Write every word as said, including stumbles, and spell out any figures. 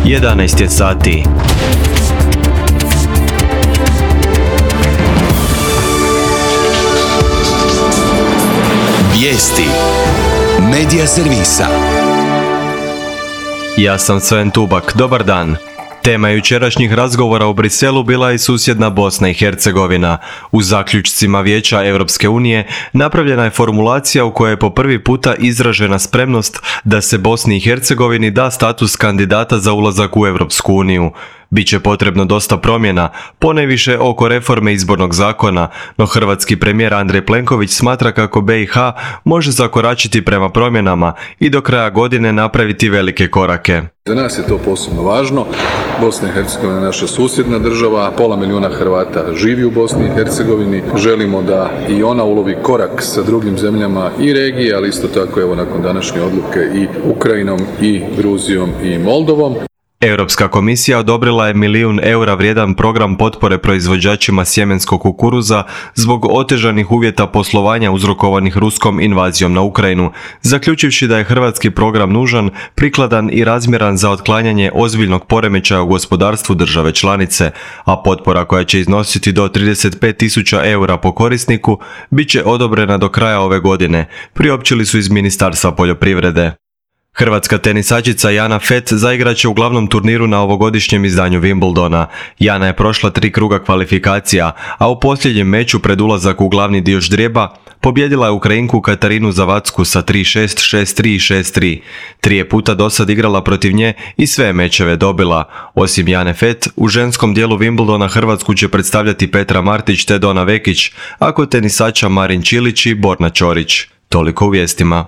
jedanaest je sati. Vijesti Medija servisa. Ja sam Sven Tubak, dobar dan. Tema jučerašnjih razgovora u Briselu bila je i susjedna Bosna i Hercegovina. U zaključcima Vijeća Europske unije napravljena je formulacija u kojoj je po prvi puta izražena spremnost da se Bosni i Hercegovini da status kandidata za ulazak u Europsku uniju. Biće potrebno dosta promjena, ponajviše oko reforme izbornog zakona, no hrvatski premijer Andrej Plenković smatra kako B i H može zakoračiti prema promjenama i do kraja godine napraviti velike korake. Za nas je to posebno važno. Bosna i Hercegovina je naša susjedna država, pola milijuna Hrvata živi u Bosni i Hercegovini. Želimo da i ona ulovi korak sa drugim zemljama i regije, ali isto tako evo nakon današnje odluke i Ukrajinom i Gruzijom i Moldovom. Europska komisija odobrila je milijun eura vrijedan program potpore proizvođačima sjemenskog kukuruza zbog otežanih uvjeta poslovanja uzrokovanih ruskom invazijom na Ukrajinu, zaključivši da je hrvatski program nužan, prikladan i razmjeran za otklanjanje ozbiljnog poremećaja u gospodarstvu države članice, a potpora koja će iznositi do trideset pet tisuća eura po korisniku bit će odobrena do kraja ove godine, priopćili su iz Ministarstva poljoprivrede. Hrvatska tenisačica Jana Fett zaigrat će u glavnom turniru na ovogodišnjem izdanju Wimbledona. Jana je prošla tri kruga kvalifikacija, a u posljednjem meču pred ulazak u glavni dio ždrijeba pobjedila je Ukrajinku Katarinu Zavacku sa tri šest, šest tri i šest tri. Tri je puta dosad igrala protiv nje i sve mečeve dobila. Osim Jane Fett, u ženskom dijelu Wimbledona Hrvatsku će predstavljati Petra Martić te Dona Vekić, a kod tenisača Marin Čilić i Borna Ćorić. Toliko u vijestima.